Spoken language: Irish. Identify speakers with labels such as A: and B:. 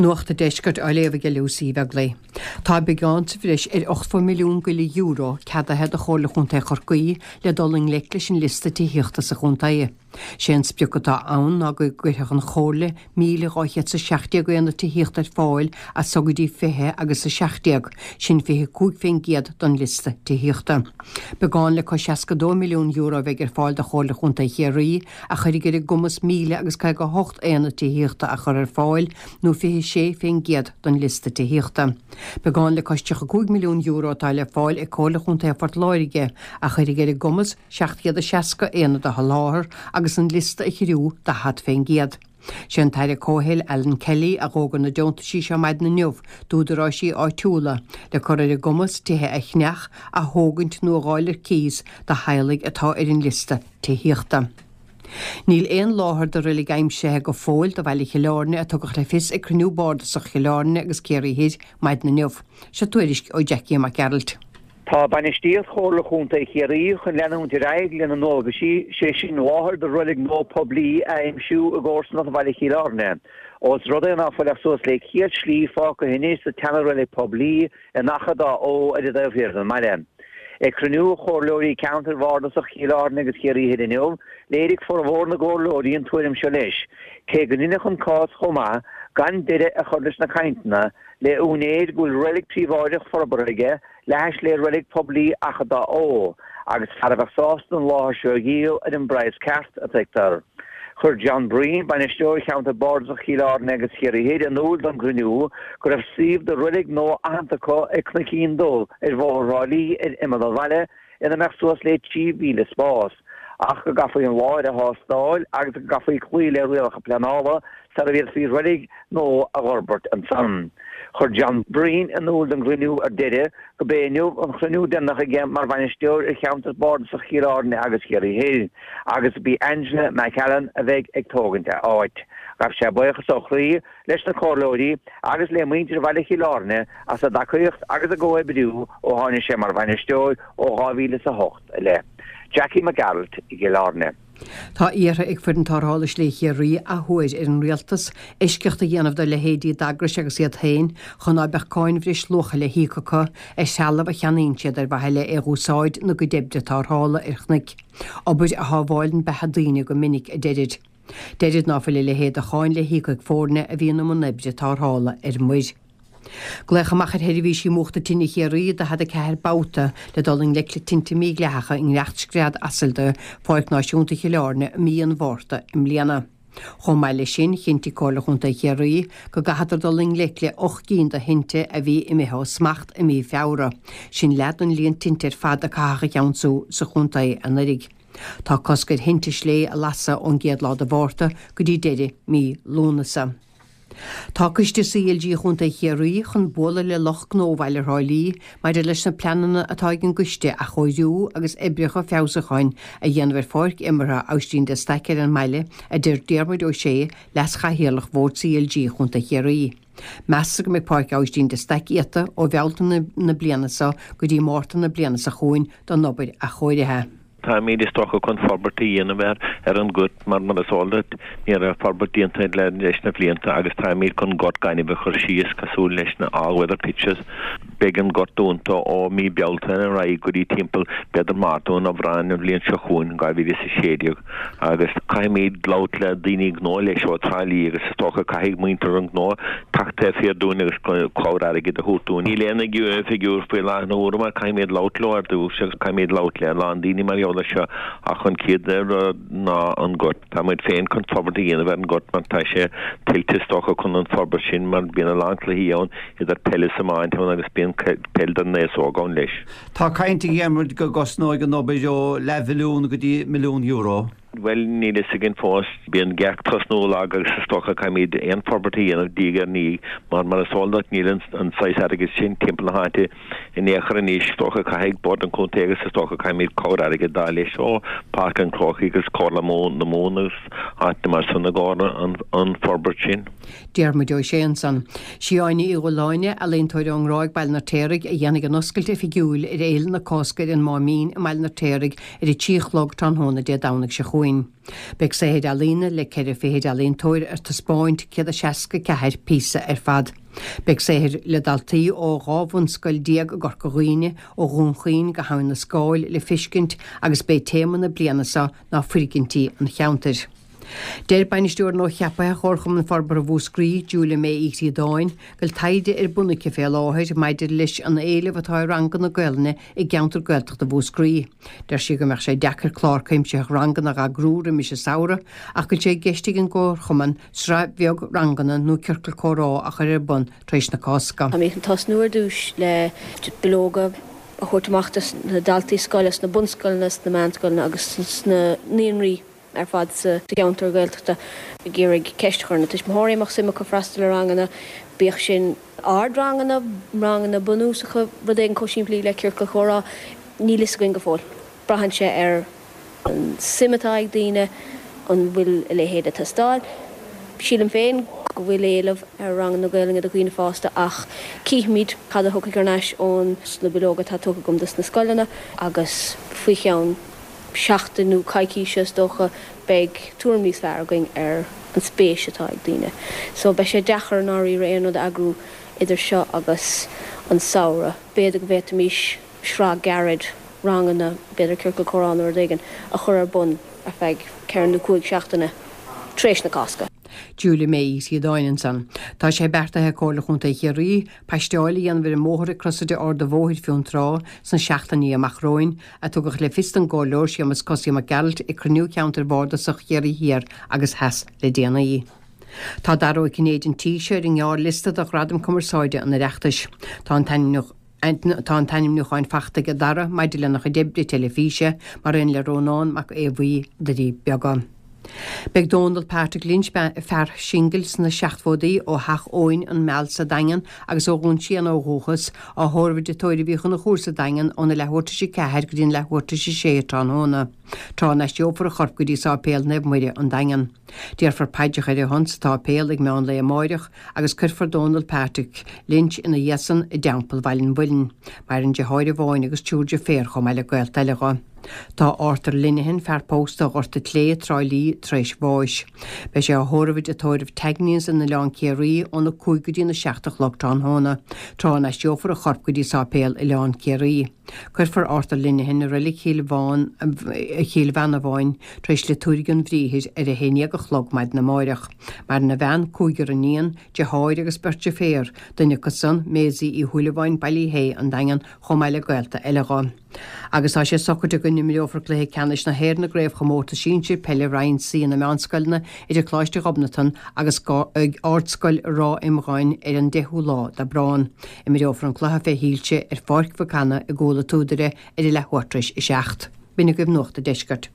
A: Nuacht an Deiscirt á léamh ag Lucy Uí Bheaglaoich. Tá beagán sa bhreis ar €80 milliún go leith euro ceadaithe do Chomhairle Chontae Chorcaí le dul i ngleic leis an liosta tithíochta sa chontae. Sé an sprioc atá ann ná go gcuirfeadh an Chomhairle 1,217 aonad tithíochta ar fáil as so go dtí 20 agus 17, sin 25% don liosta tithíochta. Beagán le cois €62 milliún a bheidh ar fáil do Chomhairle Chontae Chiarraí a chuirfidh ar a gcumas 1,058 aonad tithíochta a chur ar fáil, nó 26% den liosta tithíochta. Beagán le cois €35 milliún atá le fáil ag Comhairle Chontae Phort Láirge, a chuirfidh ar a gcumas 760 aonad a sholáthar agus an liosta a chiorrú 40%. Sé an tAire Comhshaoil Alan Kelly a dh'fhógair na deontaisí seo maidin inniu d'údaráisí áitiúla le cur ar a gcumas tithe a cheannach, a thógaint nó a dh'fháil ar cíos do theaghlaigh atá ar an liosta tithíochta. Níl aon láthair do reilig aimsithe go fóill do bhaile Chill Airne a tugadh le fios ag cruinniú bardasach Chill Airne agus Ciarraí Thoir maidin inniu. Seo tuairisc ó Jackie Mac Gearailt.
B: Tá bainistíocht Chomhairle Chontae Chiarraí chun leanúint ar aghaidh lena ndualgaisí, sé sin láthair do reilig nua poiblí a aimsiú i gcomharsanacht bhaile Chill Airne. Ós rud é ná fuil ach suas le 100 slí fágtha anois sa tseana-reilig poiblí in Achadh Dá Eo ar an dtaobh thiar den mbaile. Ag cruinniú Chomhairleoirí Ceantair Bhardasach Chill Airne agus Chiarraí Thoir inniu, léirigh formhór na gcomhairleoirí an tuairim seo leis, cé go ndeineadh an cás chomh maith gan deireadh a chur leis na cainteanna le úinéir go bhfuil reilig príobháideach forbartha aige le hais le reilig poiblí Achadh Dá Eo, agus fear a bheadh sásta an láthair seo a dhíol ar an bpraghas ceart, a tuigtear. Chuir John Breen, bainisteoir cheantar bardasach Chill Airne agus Chiarraí Thoir, in iúl don gcruinniú go raibh suíomh do reilig nua aitheanta acu ag Cnoicín Dubh ar Bhóthar Thrá Lí ar imeall an bhaile ina mbeadh suas le 3,000 spás, ach go gcaithfí an láthair a thástáil agus go gcaithfí cloí le rialacha pleanála sara bhféadfaí reilig nua a dh'fhorbairt ansan. Chuir John Breen in iúl don gcruinniú ar deireadh go b'é inniu an chruinniú deireanach aige mar bhainisteoir ar cheantar bardasach Chill Airne agus Chiarraí Thoir agus b'í Angela McAllen a bheidh ag tógaint a áit. Ghabh sé buíochas ó chroí leis na comhairleoirí agus le muintir bhaile Chill Airne as a dtacaíocht agus a gcomhoibriú ó tháinig sé mar bhainisteoir ó 2008 i leith. Jackie Mac Gearailt i gCill Airne.
A: Tá iarrtha ag Foireann Tarrthála Slé Chiarraí athuair ar an Rialtas eisceacht a dhéanamh do leithéidí d'eagrais agus iad féin chun ná beadh cáin bhreisluacha le híoc acu ar threalamh a cheannaíonn siad ar mhaithe le é dh'úsáid ina gcuid oibre tarrthála ar chnoic. Obair a shábháileann beatha daoine go minic, a deirid. Deirid ná fuil a leithéid de cháin le híoc ag foirne a bhíonn i mbun oibre tarrthála ar muir. Glaodh amach ar sheirbhísí múchta tine Chiarraí 44 babhta le dul i ngleic le tinte mídhleathacha i ngearrscread asail de Pháirc Náisiúnta Chill Airne i mí an Mhárta i mbliana. Chomh maith leis sin, chinntigh Comhairle Chontae Chiarraí go gcaitheadar dul i ngleic le 8 gcinn de thinte a bhí imithe ó smacht i mí Feabhra. Sin leath den líon tinte ar fad a caitheadh a cheansú sa chontae anuraidh. Tá cosc ar thinte slé a lasadh ón gcéad lá de Mhárta go dtí deireadh mí Lúnasa. Tá Coiste CLG Chontae Chiarraí chun bualadh le lucht gnó bhaile Thrá Lí maidir leis na pleananna atá ag an gcoiste athchóiriú agus oibreacha feabhsúcháin a dhéanamh ar pháirc imeartha Aibhistín de Staic ar an mbaile, a deir Diarmuid Ó Sé, Leas-Chathaoirleach Bhord CLG Chontae Chiarraí. Meastar go mbeidh Páirc Aibhistín de Staic iata ó Bhealtaine na bliana seo go dtí Márta na bliana seo chugainn don obair athchóirithe.
C: Táimid is dócha chun forbairt a dhéanamh air ar an ngort mar mar is eol duit ní raibh forbairt déanta air leis na blianta agus táimid chun gort gainimh a chur síos cosúil leis na all weather pitches. Beidh an gort dúnta ó mí Bealtaine ar aghaidh go dtí timpeall b'fhéidir Márta nó Aibreán an bhliain seo chugainn, 2016. Agus caithfimid labhairt le daoine gnó leis ó Trá Lí agus is dócha caithfidh muintir an ghnó teacht taobh thiar dúinn agus cabhair airgid a thabhairt dúinn. Níl aon fhigiúr faoi láthair na huaire mar caithfimid labhairt leo ar dtús agus caithfimid labhairt le a lán daoine mar gheall air seo ach an chéad rud ná an gort. Tá muid féin chun forbairt a dhéanamh ar an ngort mar tá sé tuillte is dócha chun an forbairt sin mar bíonn a lán cluichí ann idir peil is iomáint ann agus bíonn peil don aos óg ann leis.
D: Tá caint a Dhiarmuid go gcosnóidh an obair ó leathmhilliún go dtí €1 milliún.
C: Bhuel, níl fhios againn fós. Bíonn gach tosnú lag agus is dócha caithfimid aon forbairt a dhéanamh diaidh ar ndiaidh mar mar is eol duit níl an saghas airgid sin timpeall na háite in aon chor anois. Is dócha caithfidh Bord an Chontae agus is dócha caithfimid cabhair airgid d'fháil leis ó Páirc an Chrócaigh agus Comhairle na Mumhan agus áiteanna mar san i gcomhair an forbairt sin.
A: Diarmuid Ó Sé ansan. Sí Áine Uí Dhubhshláine, ealaíontóir ón nGráig, Baile an Fheirtéaraigh, a dhéanfaidh an oscailt oifigiúil ar Fhéile na Cásca ar an Máimín i mBaile an Fheirtéaraigh ar a 3 a chlog tráthnóna Dé Domhnaigh seo chugainn. chugainn. Beidh saothair ealaíne le 24 fichid ealaíontóir ar taispeáint, 164 píosa ar fad. Beidh saothair le daltaí ó 12 bhunscoil i gCorca Dhuibhne, ó Dhún Chaoin go hAbhainn na Scáil le feiscint agus b'é téama na bliana seo ná foirgintí an cheantair. Deir Bainisteoir nua-cheaptha Chomharchumann Forbartha Mhúscraí, Julia May Uí Chríodáin, go bhfuil taighde ar bun aici fé láthair maidir leis an éileamh atá ar ranganna Gaelainne i gceantar Gaeltachta Mhúscraí. Deir sí go mbeadh sé deacair clár cuimsitheach ranganna a dh'eagrú roimis an samhradh ach go bhfuil sé i gceist ag an gComharchumann sraith bheag ranganna nó ciorcal comhrá a chur ar bun tar éis na Cásca.
E: Táimid chun tosnú ar dtús le bileoga a thabhairt amach dos na daltaí scoile sna bunscoileanna, sna meánscoileanna agus sna naíonraí ar fad sa cheantar Gaeltachta ag iarraidh ceist a chur ar na tuismitheoirí an mbeadh suim acu freastal ar ranganna, bíodh sin ardranganna, ranganna bunúsacha, rud éigin chomh simplí le ciorcal comhrá. Níl fhios againn go fóill. Braitheann sé ar an suim atá ag daoine, an bhfuil a leithéid ag teastáil. Sílim féin go bhfuil éileamh ar ranganna Gaelainne do dhaoine fásta ach cífimid cad a thiocfaidh thar n-ais ón sna bileoga atá tugtha agam dos na scoileanna agus faoi cheann seachtain nó coicíse is dócha beidh tuairim níos fearr againn ar an spéis atá ag daoine. So beidh sé deacair i ndáiríre aon rud a eagrú idir seo agus an samhradh. B'fhéidir go bhféadfaimis sraith gairid ranganna, b'fhéidir ciorcal comhrá nó rud éigin, a chur ar bun ar feadh ceithre nó cúig seachtaine tar éis na Cásca.
A: Julia May Uí Chríodáin ansan. Tá sé beartaithe ag Comhairle Chontae Chiarraí paisteáil a dhéanamh ar an mbóthar ag Crosaire Ard an Bhóthair, Fionntrá, sna seachtainí amach romhainn, a tugadh le fios don gComhairleoir Séamus Cosaí Mac Gearailt ag cruinniú Cheantair Bhardasach Chiarraí Thiar agus Theas le déanaí. Tá Dara Ó Cinnéide an tí seo ar an ngearrliosta do Ghradam Cumarsáide an Oireachtais. Tá an Tá an t-ainmniúchán fachta ag Dara maidir lena chuid oibre teilifíse, mar aon le Rónán Mac Aodha Bhuí, Doirí Beaga. Beidh Dónal Patrick Lynch, fear singil sna seachtóidí ó Theach Eoin, An Meal sa Daingean agus ó Dhún Séanna ó dhúchas, á thórramh i dTigh Tórraimh Uí Chonchúir sa Daingean óna leathuair tar éis 4 go dtí an leathuair tar éis 6 tráthnóna, tráth a n-aistreofar a chorp go dtí Sáipéal Naomh Muire, An Daingean. Déarfar paidreacha ar a shon sa tsáipéal ag meán lae amáireach agus cuirfear Dónal Patrick Lynch ina dhiaidh san i dTeampall Bhaile an Mhuilinn. Maireann deartháir amháin agus triúr deirféar chomh maith le gaolta eile dho. Tá Arthur Linehan, fear pósta ó Ghort a' tSléibhe, Trá Lí, tar éis bháis. Beidh sé á thórramh i dtigh tórraimh Tagney's in Oileán Ciarraí óna 5 go dtína 7 a chlog tráthnóna, tráth a n-aistreofar a chorp go dtí sáipéal Oileán Ciarraí. Cuirfear Arthur Linehan i Reilig Chill Chill Mheanbháin tar éis liotúirge an bhriathair ar a haon dhéag a chlog maidin amáireach. Maireann a bhean, cúigear iníon, deartháir agus beirt deirféar, duine acu san, Maisie Uí Shúilleabháin, Ballyhea, An Daingean, chomh maith le gaolta eile dho. Agus tá sé socraithe go n-imreofar cluiche ceannais na hÉireann i gCraobhchomórtas Sinsir Peile Roinn C na Meánscoileanna idir Coláiste Ghobnatan agus Ardscoil Ráth Iomgháin ar an 10ú lá d'Aibreán. Imreofar an cluiche fé shoilse ar Pháirc Mhic Anna i gCúil a' tSúdaire ar a leathuair tar éis 7. B'in agaibh Nuacht a' Deiscirt.